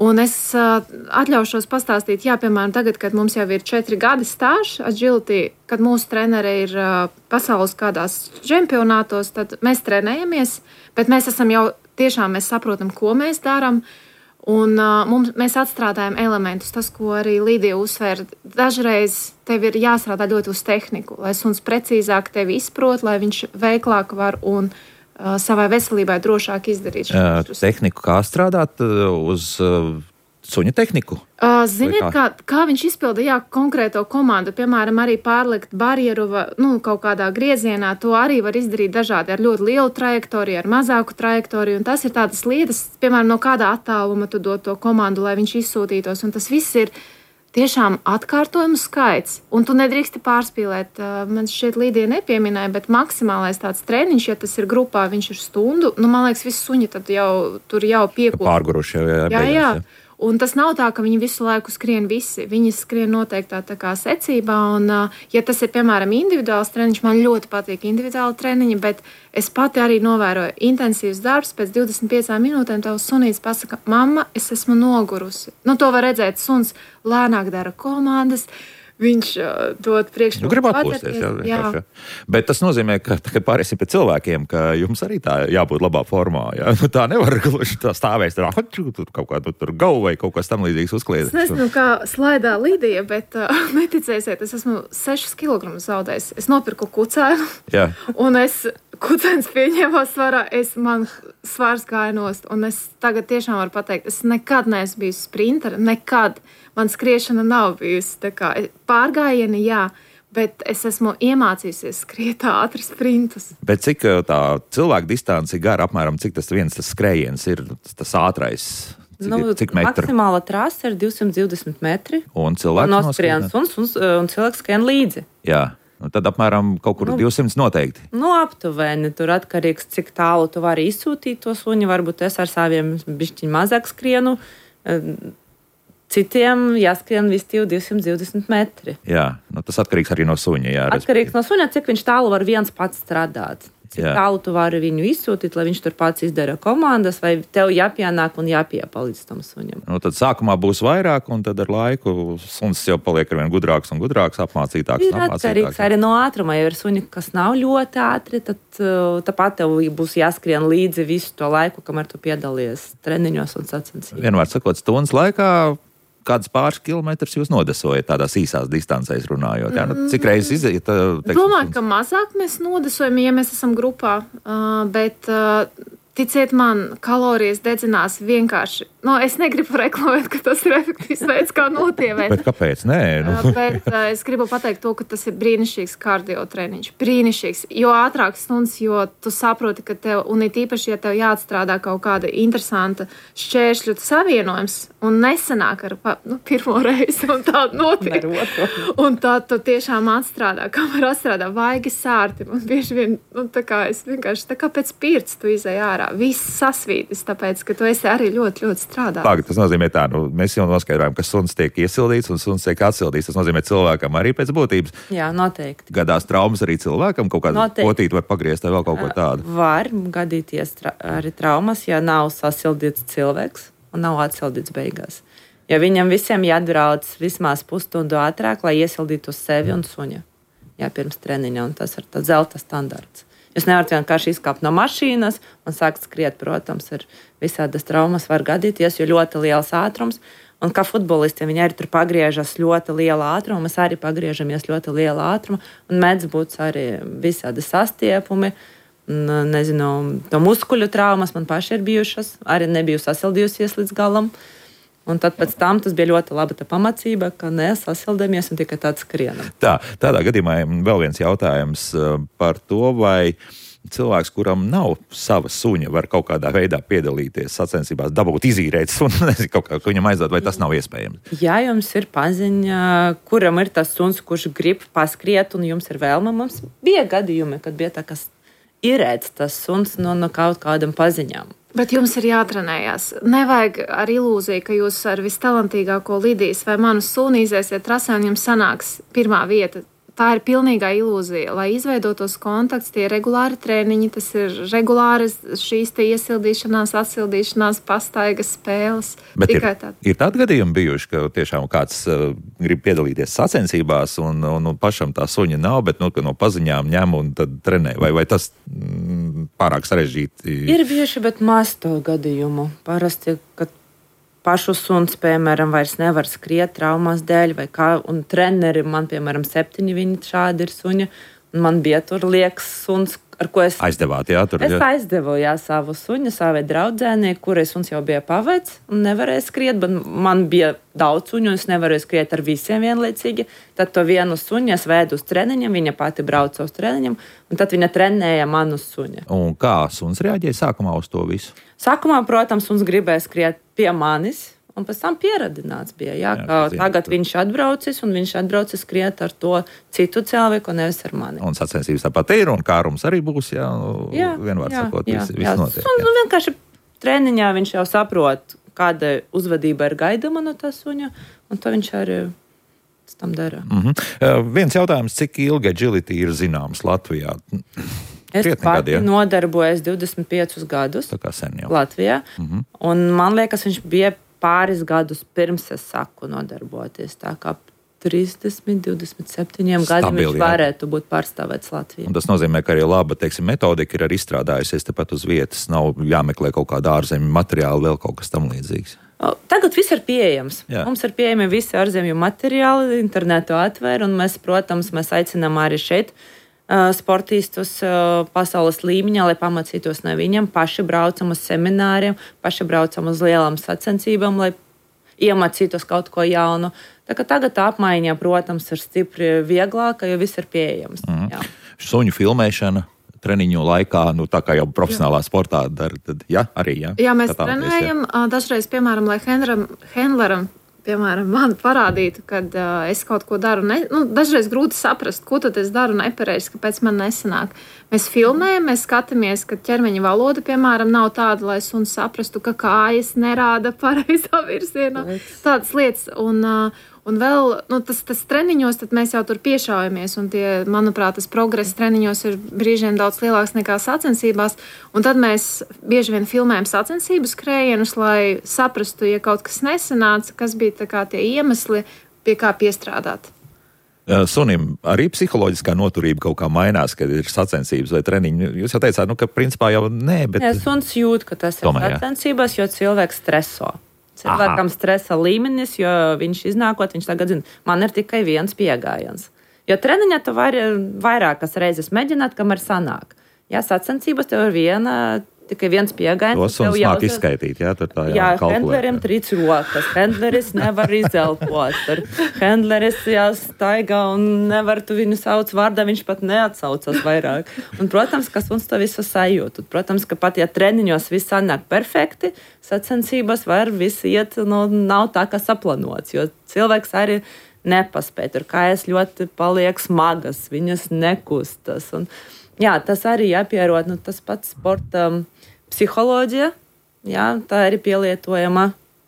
Un es atļaušos pastāstīt, piemēram, tagad, kad mums jau ir 4 gadi stāžs agility, kad mūsu trenere ir pasaules kādās čempionātos, tad mēs trenējamies, bet mēs esam jau tiešām mēs saprotam, ko mēs darām, un mēs atstrādājam elementus. Tas, ko arī Lidija uzsver, dažreiz tev ir jāstrādā ļoti uz tehniku, lai suns precīzāk tevi izprot, lai viņš veiklāk var un savai veselībai drošāk izdarīt. Tehniku kā strādāt uz suņa tehniku? Ziniet, kā viņš izpilda konkrēto komandu, piemēram, arī pārlikt barjeru kaut kādā griezienā, to arī var izdarīt dažādi ar ļoti lielu trajektoriju, ar mazāku trajektoriju, un tas ir tādas lietas, piemēram, no kādā attāluma tu dod to komandu, lai viņš izsūtītos, un tas viss ir tiešām atkārtojumu skaits, un tu nedrīksti pārspīlēt. Man šķiet, Līdija nepieminēja, bet maksimālais tāds treniņš, ja tas ir grupā, viņš ir stundu, man liekas, visi suņi tad tur jau piekop. Pārguruši jau, jā. Un tas nav tā, ka viņi visu laiku skrien visi. Viņi skrien noteiktā tā kā secībā, un ja tas ir, piemēram, individuāls treniņš, man ļoti patīk individuāli treniņi, bet es pati arī novēroju intensīvs darbs, pēc 25 minūtēm tavs sunīts pasaka, mamma, es esmu nogurusi. To var redzēt, suns lēnāk dara komandas, viņš dod priekšroku. Grib atpūsties, jā. Bet tas nozīmē, ka pārēsim pie cilvēkiem, ka jums arī tā jābūt labā formā. Jā? Tā nevar gluži tā stāvēs, tur kaut kā tur gau vai kaut kas tam līdzīgs uzkliedēt. Es nezinu, kā slaidā Lidija, bet neticēsiet, es esmu 6 kg zaudējis. Es nopirku kucēnu, un kucēns pieņēmā svarā, man svars gāja nost, un es tagad tiešām varu pateikt, es nekad neesmu bijusi sprinteri, nekad. Man skriešana nav bijusi tā kā pārgājieni, jā, bet es esmu iemācījusies skriet ātri sprintus. Bet cik tā cilvēku distance ir gara, apmēram cik tas skrējiens ir tas ātrais? Cik metru? Maksimāla trasa ir 220 metri. Un cilvēks noskrien un cilvēks skrien līdzi. Jā. Tad apmēram kaut kur 200 noteikti. Aptuveni. Tur atkarīgs, cik tālu tu vari izsūtīt to suņu. Varbūt es ar saviem bišķiņ mazāk skrienu. Citiem jāskrien vistīvi 220 metri. Jā, tas atkarīgs arī no suņa. Jā, atkarīgs no suņa, cik viņš tālu var viens pats strādāt. Cik tālu tu vari viņu izsūtīt, lai viņš tur pats izdara komandas, vai tev jāpienāk un jāpiepalīdz tam suņam. Tad sākumā būs vairāk, un tad ar laiku suns jau paliek arvien gudrāks un gudrāks, apmācītāks. Ir atkarīgs arī no ātruma. Ja ir suņi, kas nav ļoti ātri, tad tāpat tev būs jāskrien līdzi visu to laiku, kamēr tu piedalies treniņos un sacensībās. Vienmēr sakot, stundas laikā kāds pāris kilometrus jūs nodesojat tādās īsās distancēs runājot? Jā, cik reizes iziet? Domāju, ka mazāk mēs nodesojam, ja mēs esam grupā, bet ticiet man, kalorijas dedzinās vienkārši. Es negribu reklamēt, ka tas ir efektīvs veids, kā notievēt. Bet kāpēc? Nē. Bet es gribu pateikt to, ka tas ir brīnišķīgs kardio treniņš. Brīnišķīgs. Jo ātrāk stundas, jo tu saproti, ka tev, un it īpaši, ja tev jāatstrādā kaut kāda interesanta šķēršļu savienojums, un nesanāk ar pirmo reizi, un tādu notiek. Un tā tu tiešām atstrādā, kamēr atstrādā vaigi sārti. Un bieži vien, es vienkārši tā kā pēc pirts tu izej ārā. Viss sasvītis, tāpēc, ka tu esi arī ļoti, ļoti strādāt. Pag, tas nozīmē tā, mēs jau noskaidrojam, ka suns tiek iesildīts un suns tiek atsildīts. Tas nozīmē cilvēkam arī pēc būtības. Jā, noteikti. Gadās traumas arī cilvēkam, kaut kādu potīti var pagriezt vai vēl kaut ko tādu. Var gadīties arī traumas, ja nav sasildīts cilvēks un nav atsildīts beigās. Ja viņam visiem jāatbrauc vismaz pusstundu ātrāk, lai iesildītu sevi un suņa. Jā, pirms treniņa, un tas ir tāds zelta standarts. Jūs nevarat vienkārši izkāpt no mašīnas un sākt skriet, protams, ir visādas traumas var gadīties, jo ļoti liels ātrums. Un kā futbolistiem viņi arī tur pagriežas ļoti liela ātruma, mēs arī pagriežamies ļoti liela ātruma, un mēdz būt arī visādi sastiepumi, nezinu, to muskuļu traumas man paši ir bijušas, arī nebiju sasildījusies līdz galam. Un tad pēc tam tas bija ļoti laba pamācība, ka nesasildamies un tikai tāds skrienam. Tādā gadījumā vēl viens jautājums par to, vai cilvēks, kuram nav sava suņa, var kaut kādā veidā piedalīties sacensībās, dabūt izīrēt sunu, nezinu, kaut kā viņam aizdot, vai tas nav iespējams? Ja jums ir paziņa, kuram ir tas suns, kurš grib paskriet, un jums ir vēlme, mums bija gadījumi, kad bija tā, kas irēts tas suns no kaut kādam paziņām. Bet jums ir jātrenējās. Nevajag ar ilūziju, ka jūs ar vistalantīgāko Lidijas vai manu suni iziesiet trasē un jums sanāks pirmā vieta. Tā ir pilnīgā ilūzija. Lai izveidotos kontakts, tie ir regulāri treniņi, tas ir regulāras šīs te iesildīšanās, atsildīšanās, pastaigas spēles. Bet ir tādi gadījumi bijuši, ka tiešām kāds grib piedalīties sacensībās un pašam tā suņa nav, bet no paziņām ņem un tad trenē. Vai tas pārāk sarežģīti? Ir bieži, bet maz to gadījumu. Parasti, kad pašu suns, piemēram, vairs nevar skriet traumas dēļ, vai kā, un treneri man, piemēram, 7 viņi šādi ir suņi, un man bija tur liekas suns, ar ko es... Aizdevāt, jā? Es aizdevu, jā, savu suņu, savai draudzēnī, kurai suns jau bija pavecs un nevarēja skriet, bet man bija daudz suņu, un es nevarēju skriet ar visiem vienlaicīgi. Tad to vienu suņu es vēdu uz treniņam, viņa pati brauca uz treniņam, un tad viņa trenēja manu suņu. Un kā suns reaģēja sākumā uz to visu? Sākumā, protams, suns gribēja skriet pie manis, Un pēc tam pieradināts bija, ka tagad viņš atbraucis, un viņš atbraucis skriet ar to citu cilvēku, nevis ar mani. Un sacensības tāpat ir, un kārums arī būs, vienvārds sakot, viss notiek. Un vienkārši treniņā viņš jau saprot, kāda uzvedība ir gaidama no tā suņa, un to viņš arī tam dara. Viens jautājums, cik ilgi agility ir zināms Latvijā? Es pati nodarbojos 25 gadus Latvijā, un man liekas, viņš bija pāris gadus pirms es saku nodarboties. Tā kā 30, 27 gadiem viņš varētu būt pārstāvēts Latvijā. Un tas nozīmē, ka arī laba, metodika ir arī izstrādājusies tepat uz vietas. Nav jāmeklē kaut kāda ārzemju materiāli, vēl kaut kas tam līdzīgs. Tagad viss ir pieejams. Mums ir pieejami visi ārzemju materiāli, internetu atver, un mēs, protams, aicinām arī šeit sportistus pasaules līmeņā, lai pamācītos no viņiem, paši braucam uz semināriem, paši braucam uz lielām sacensībām, lai iemācītos kaut ko jaunu. Tā kā tagad apmaiņa, protams, ir stipri vieglāka, jo viss ir pieejams. Suņu filmēšana treniņu laikā, tā kā jau profesionālā sportā dara, tad arī. Jā, mēs trenējam. Dažreiz, piemēram, lai handleram piemēram, man parādītu, kad es kaut ko daru. Dažreiz grūti saprast, ko tad es daru nepareizi, kāpēc man nesanāk. Mēs filmējam, mēs skatāmies, ka ķermeņa valoda, piemēram, nav tāda, lai suns saprastu, ka kājas nerāda pareizā virzienā. Tādas lietas. Un vēl tas treniņos, tad mēs jau tur piešaujamies. Un manuprāt, tas progress treniņos ir brīžiem daudz lielāks nekā sacensībās. Un tad mēs bieži vien filmējam sacensību skrējienus, lai saprastu, ja kaut kas nesanāca, kas bija tie iemesli, pie kā piestrādāt. Sunim arī psiholoģiskā noturība kaut kā mainās, kad ir sacensības vai treniņi. Jūs jau teicāt, ka principā jau nē, bet... Suns jūt, ka tas ir sacensībās, jo cilvēks streso. Cilvēkam stresa līmenis, jo viņš iznākot, viņš tagad zina, man ir tikai viens piegājiens. Jo treniņā tu vari vairākas reizes mēģināt, kamēr sanāk. Sacensības tev ir tikai viens piegājiens. To suns māk izskaitīt, handlerim trīc rokas, handleris nevar izelpot, handleris staigā un nevar tu viņu sauc vārdā, viņš pat neatsaucas vairāk. Un, protams, ka suns to visu sajūt. Protams, ka pat ja treniņos viss sanāk perfekti, sacensības var viss iet, nav tā, kā saplanots, jo cilvēks arī nepaspēj. Tur kājas ļoti paliek smagas, viņas nekustas. Un, tas arī jāpierod, tas pats sporta psiholoģija, tā arī pielietojama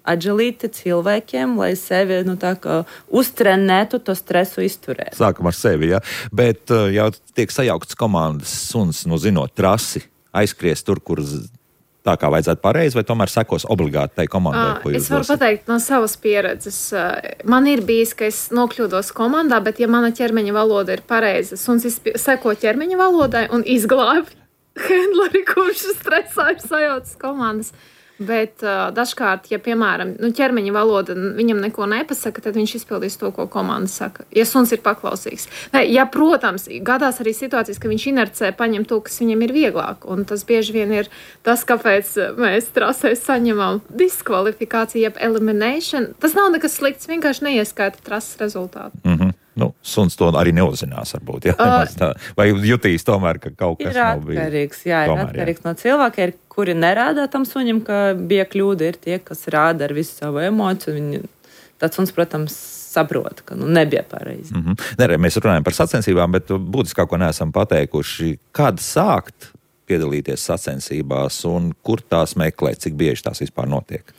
agility cilvēkiem, lai sevi uztrenētu to stresu izturēt. Sākam ar sevi, bet jau tiek sajauktas komandas suns, zinot trasi, aizskries tur, kur tā kā vajadzētu pareizi, vai tomēr sekos obligāti tai komandai, ko jūs Es varu pateikt no savas pieredzes. Man ir bijis, ka es nokļūdos komandā, bet ja mana ķermeņa valoda ir pareiza, suns seko ķermeņa valodai un izglābi handleri, kurš stresā ir sajaucis komandas. Bet dažkārt, ja, piemēram, ķermeņa valoda viņam neko nepasaka, tad viņš izpildīs to, ko komanda saka. Ja suns ir paklausīgs. Ja, protams, gadās arī situācijas, ka viņš inercē paņem to, kas viņam ir vieglāk. Un tas bieži vien ir tas, kāpēc mēs trasēs saņemam diskvalifikāciju, jeb elimination. Tas nav nekas slikts, vienkārši neieskaita trases rezultātu. Suns to arī neuzzinās, varbūt. Vai jutīs tomēr, ka kaut kas nav bijis? Ir atkarīgs no cilvēka, kuri nerādā tam suņam, ka bija kļūda, ir tie, kas rāda ar visu savu emociju. Tad suns, protams, saprot, ka nebija pareizi. Mēs runājam par sacensībām, bet būtiskāko neesam pateikuši, kad sākt piedalīties sacensībās un kur tās meklēt, cik bieži tās vispār notiek?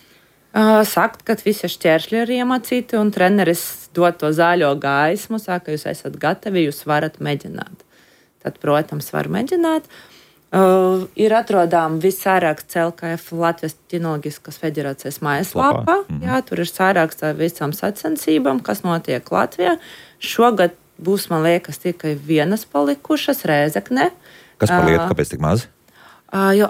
Sakt, ka visi šķēršļi ir iemācīti un treneris dod to zaļo gaismu, saka, jūs esat gatavi, jūs varat mēģināt. Tad, protams, var mēģināt. Ir atrodām viss sāraksts LKF Latvijas Kinoloģiskas federācijas mājaslapā. Tur ir sāraksts ar visām sacensībām, kas notiek Latvijā. Šogad būs, man liekas, tikai vienas palikušas Rēzekne. Kas par lietu, kāpēc tik maz? Jo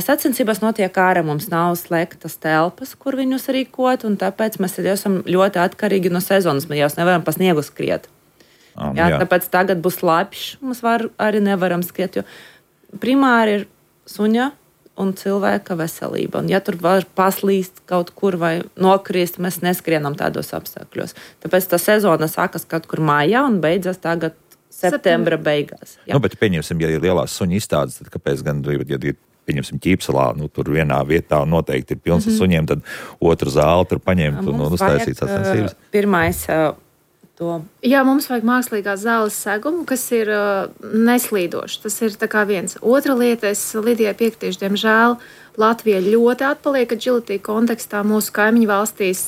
sacensībās notiek ārā, mums nav slēgtas telpas, kur viņus rīkot, un tāpēc mēs esam ļoti atkarīgi no sezonas. Mēs jau nevaram pa sniegu skriet. Tāpēc tagad būs lapš, mums arī nevaram skriet, jo primāri ir suņa un cilvēka veselība. Un ja tur var paslīst kaut kur vai nokrist, mēs neskrienam tādos apstākļos. Tāpēc tā sezona sākas kaut kur mājā un beidzas tagad septembra beigās. Bet pieņemsim, ja ir lielās suņu izstādes, tad kāpēc gan, ja ir pieņemsim, Ķīpsalā, tur vienā vietā noteikti ir pilns ar suņiem, tad otru zāli tur paņemt un uztaisīt sacensības. Pirmais Jā, mums vajag mākslīgās zāles segumu, kas ir neslīdošs. Tas ir tā kā viens. Otra lieta, es Lidijai piekritīšu, diemžēl Latvija ļoti atpaliek agility kontekstā mūsu kaimiņu valstīs.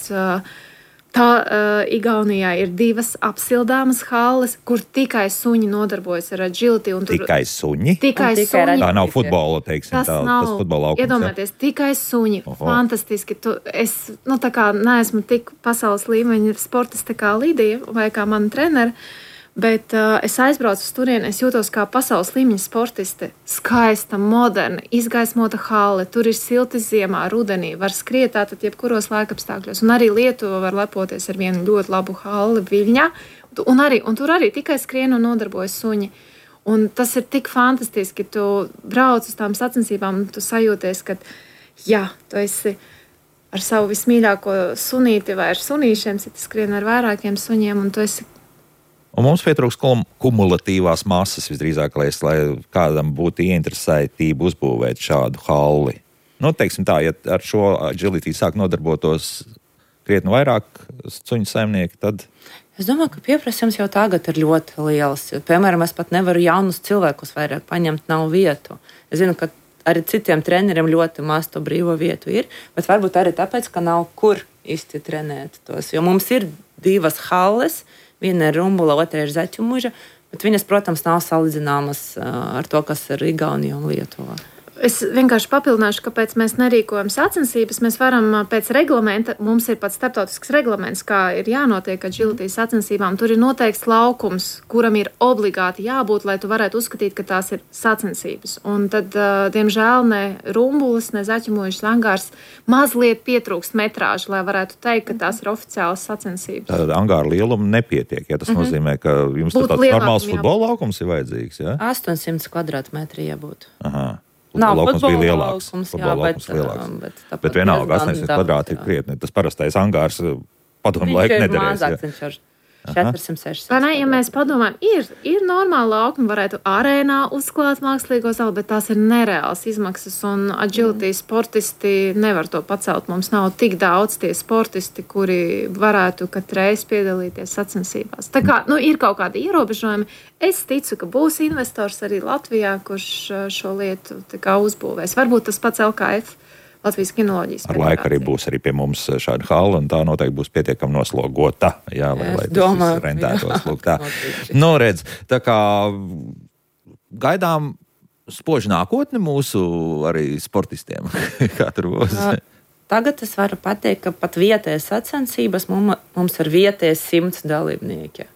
Igaunijā ir 2 apsildāmas halles, kur tikai suņi nodarbojas ar agility. Tikai suņi? Tikai suņi. Tā nav futbola, teiksim, tas futbola laukums. Iedomājieties, tikai suņi. Fantastiski. Tā kā neesmu tik pasaules līmeņa sportiste kā Lidija vai kā mana trenere, bet es aizbraucu uz turieni, es jūtos kā pasaules līmeņa sportiste. Skaista, moderna, izgaismota halle, tur ir silti ziemā, rudenī, var skriet tātad jebkuros laikapstākļos. Un arī Lietuva var lepoties ar vienu ļoti labu halli Viļņā, un tur arī tikai skrien un nodarbojas suņi. Un tas ir tik fantastiski, tu brauc uz tām sacensībām, un tu sajūties, ka jā, tu esi ar savu vismīļāko sunīti vai ar sunīšiem, tu skrien ar vairākiem suņiem, un tu esi. Un mums pietrūks kumulatīvās masas visdrīzāk, lai kādam būtu ieinteresētība uzbūvēt šādu halli. Teiksim tā, ja ar šo agility sāk nodarbotos krietni vairāk suņu saimnieki, tad... Es domāju, ka pieprasījums jau tagad ir ļoti liels. Piemēram, es pat nevaru jaunus cilvēkus vairāk paņemt, nav vietu. Es zinu, ka arī citiem treneriem ļoti maz to brīvo vietu ir, bet varbūt arī tāpēc, ka nav kur īsti trenēt tos. Jo mums ir 2 halles, viena ir Rumbula, otra ir Zaķumuža, bet viņas, protams, nav salīdzināmas ar to, kas ir Igaunija un Lietuva. Es vienkārši papildināšu, kāpēc mēs nerīkojam sacensības. Mēs varam pēc reglamenta, mums ir pat starptautisks reglaments, kā ir jānotiek agility sacensībām. Tur ir noteikts laukums, kuram ir obligāti jābūt, lai tu varētu uzskatīt, ka tās ir sacensības. Un tad, diemžēl, ne Rumbulas, ne Zaķumužas angārs mazliet pietrūkst metrāžu, lai varētu teikt, ka tās ir oficiālas sacensības. Tad angāra lieluma nepietiek, ja tas nozīmē, ka jums tāds normāls futbola laukums ir vajadzīgs, ja? 800 kvadrātmetri jābūt. Aha. Nav laukums bija lielāks. Laukums, bet vienalga 800 kvadrāti ir krietni. Tas parastais angārs padomu laiku nederēs. Viņš ir 400-600. Ja mēs padomājam, ir normāli laukumi, varētu arēnā uzklāt mākslīgo zāli, bet tās ir nereāls izmaksas, un agility sportisti nevar to pacelt. Mums nav tik daudz tie sportisti, kuri varētu katreiz piedalīties sacensībās. Tā kā ir kaut kādi ierobežojumi. Es ticu, ka būs investors arī Latvijā, kurš šo lietu uzbūvēs. Varbūt tas pats LKF. Latvijas kinoloģijas. Ar laiku arī būs arī pie mums šāda hala, un tā noteikti būs pietiekami noslogota, jā, lai tas rentētos. Lūk, tā. Redz, tā kā gaidām spožu nākotni mūsu arī sportistiem. Kā tur būs? Tagad es varu pateikt, ka pat vietējas sacensības mums ir vietējas 100 dalībnieki.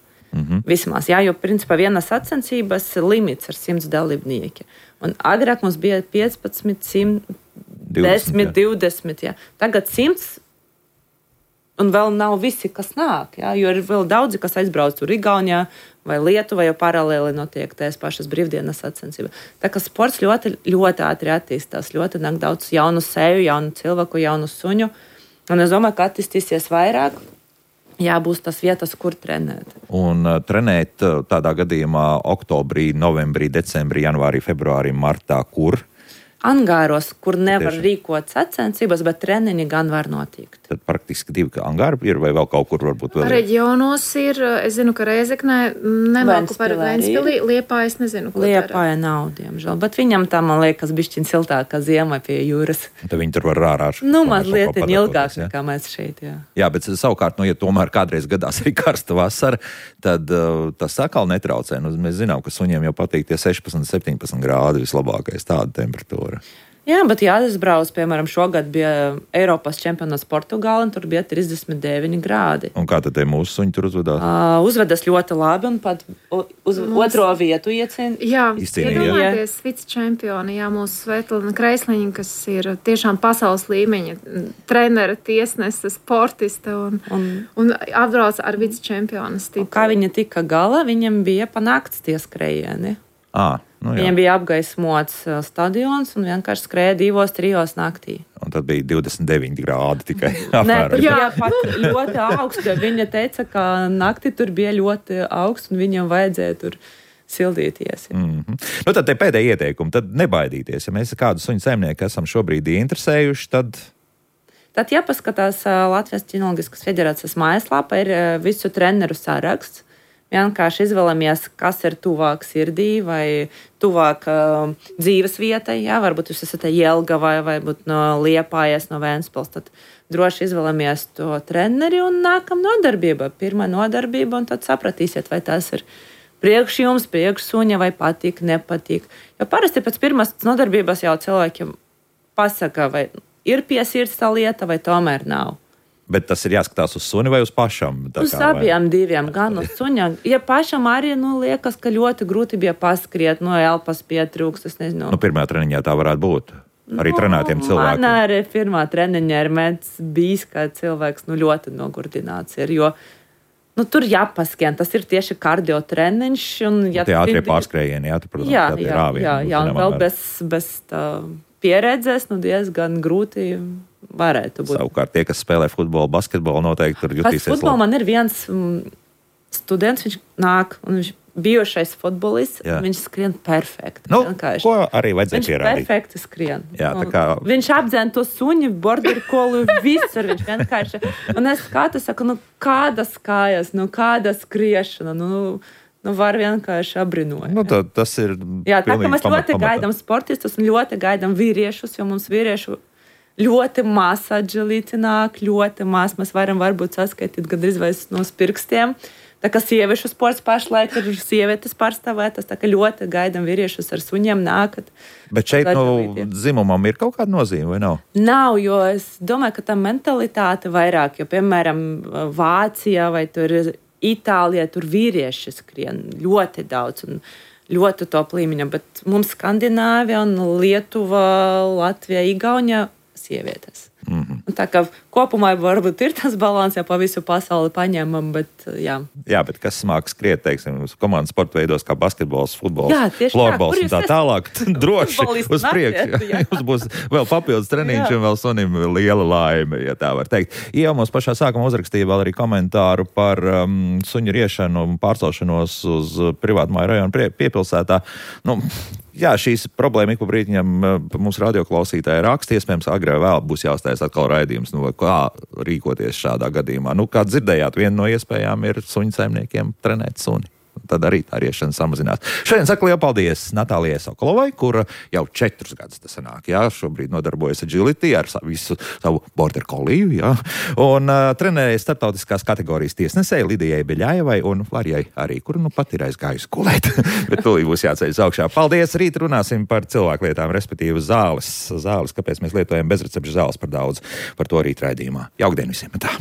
Vismaz, jā, jo principā viena sacensības limits ir 100 dalībnieki. Un agrāk mums bija 15, 100, 10, 20. Jā. Tagad 100, un vēl nav visi, kas nāk. Jā, jo ir vēl daudzi, kas aizbrauc tur Igaunijā vai Lietuvā, jo paralēli notiek tās pašas brīvdienas sacensības. Tā kā sports ļoti, ļoti ātri attīstās, ļoti nāk daudz jaunu seju, jaunu cilvēku, jaunu suņu. Un es domāju, ka attīstīsies vairāk. Jā, būs tas vietas, kur trenēt. Un trenēt tādā gadījumā oktobrī, novembrī, decembrī, janvārī, februārī, martā, kur? Angāros, kur nevar rīkot sacensības, bet treniņi gan var notikt. Tad praktiski 2 angāri ir vai vēl kaut kur varbūt vēl? Reģionos ir, es zinu, ka Rēzeknē nemāku par Ventspilī, Liepāja, es nezinu, ko Liepāja nav, diemžēl, bet viņam tā, man liekas, bišķiņ siltākā ziema pie jūras. Tad viņi tur var rārā. Mazliet ilgāk nekā mēs šeit, jā. Jā, bet savukārt, ja tomēr kādreiz gadās arī karsta vasara, tad tas atkal netraucē. Mēs zinām, ka suņiem jau patīk tie 16, 17 grādi vislabākais tāda temperatūra. Jā, bet jāizbrauc, piemēram, šogad bija Eiropas čempionāts Portugāla, un tur bija 39 grādi. Un kā tad te mūsu suņi tur uzvedās? Uzvedas ļoti labi, un pat uz otro vietu iecīnīja. Jā, iedomājieties, vicečempioni, jā, mūsu Svetlana Kreisliņa, kas ir tiešām pasaules līmeņa trenere, tiesnese, sportiste, un apbrauc ar vicečempionas titulu. Kā viņa tika galā, viņam bija panākts tie skrējieni. Viņam bija apgaismots stadions un vienkārši skrēja 2-3 naktī. Un tad bija 29 grādi tikai. Nē, tur bija pat ļoti augsts. Viņa teica, ka naktī tur bija ļoti augsts un viņam vajadzēja tur sildīties. Nu, tad te pēdējie ieteikumi, tad nebaidīties. Ja mēs kādu suņu saimnieku esam šobrīd ieinteresējuši, Tad jāpaskatās Latvijas ķinoloģiskas federācijas mājaslapā, ir visu treneru saraksts. Vienkārši izvēlamies, kas ir tuvāk sirdī vai tuvāk dzīves vietai. Jā, varbūt jūs esat Jelgavā vai no Liepājas, no Ventspils. Tad droši izvēlamies to treneri un nākam nodarbība. Pirmā nodarbība, un tad sapratīsiet, vai tas ir priekš jums, priekš suņa, vai patīk, nepatīk. Jo parasti pēc pirmās nodarbības jau cilvēkiem pasaka, vai ir pie sirds tā lieta, vai tomēr nav. Bet tas ir jāskatās uz suni vai uz pašam? Uz abiem diviem, gan uz suņa. Ja pašam arī liekas, ka ļoti grūti bija paskriet, elpas pietrūkst, es nezinu. Pirmajā treniņā tā varētu būt. Arī trenētiem cilvēkiem. Man arī pirmā treniņā ir bijis, ka cilvēks ļoti nogurdināts ir, jo tur jāpaskrien, tas ir tieši kardio treniņš. Tie ātrie pārskrējieni, protams, jā, un vēl bez tā pieredzes, diezgan grūti varētu būt. Savukārt tie, kas spēlē futbolu, basketbolu, noteikti tur jutīsies. Futbolu man ir viens students, viņš nāk, un viņš bijušais futbolists, viņš skrien perfekti. Ko arī vajadzēja pierādīt? Viņš perfekti skrien. Jā, viņš apdzēna to suņu, border collie, visur viņš vienkārši. Un es saku, kādas kājas, kāda skriešana, var vienkārši apbrīnot. Tas ir jā, tā kā mēs ļoti gaidām sportistus un ļoti gaidām vīriešus, jo mums vīriešu ļoti maz agility nāk, ļoti maz. Mēs varam varbūt saskaitīt gandrīz vai no pirkstiem. Tā kā sieviešu sports pašlaik ir sievietes pārstāvētas, tā kā ļoti gaidām vīriešus ar suņiem nākat. Bet šeit dzimumam ir kaut kāda nozīme, vai nav? Nav, jo es domāju, ka tā mentalitāte vairāk, jo, piemēram, Vācijā vai tur Itālijā, tur vīrieši skrien ļoti daudz un ļoti top līmeņa, bet mums Skandināvija un Lietuva, Latvija, Igaunija sievietes. Tā kā kopumā varbūt ir tas balans, ja pa visu pasauli paņemam, bet jā. Jā, bet kas smāk skriet, teiksim, komandas sporta veidos kā basketbols, futbols, florbols un tā tālāk, droši uz priekšu. Jums būs vēl papildus treniņš un vēl sunim liela laime, ja tā var teikt. Jau mums pašā sākumā uzrakstīja vēl arī komentāru par suņu riešanu un pārcelšanos uz privātmāju rajonu piepilsētā. Jā, šīs problēma ik pa brītiņam mums radioklausītāji raksta, iespējams, agrāk vēl būs jāuztais atkal raidījums, kā rīkoties šādā gadījumā. Kā dzirdējāt, viena no iespējām ir suņu saimniekiem trenēt suni. Tad arī tā riešana samazinās. Šodien saku lielu paldies Natālijai Sokolovai, kura jau 4 gadus tas sanāk, šobrīd nodarbojas agility ar visu savu border colliju, un trenēja starptautiskās kategorijas tiesnesēji Lidijai Beļājevai un Varijai arī, kura pat ir aizgājusi gulēt, bet tūlīt būs jāceļas augšā. Paldies, rīt runāsim par cilvēklietām, respektīvi zāles, kāpēc mēs lietojam bezrecepšu zāles par daudz, par to rīt raidījumā. Jaukdien visiem! Tā.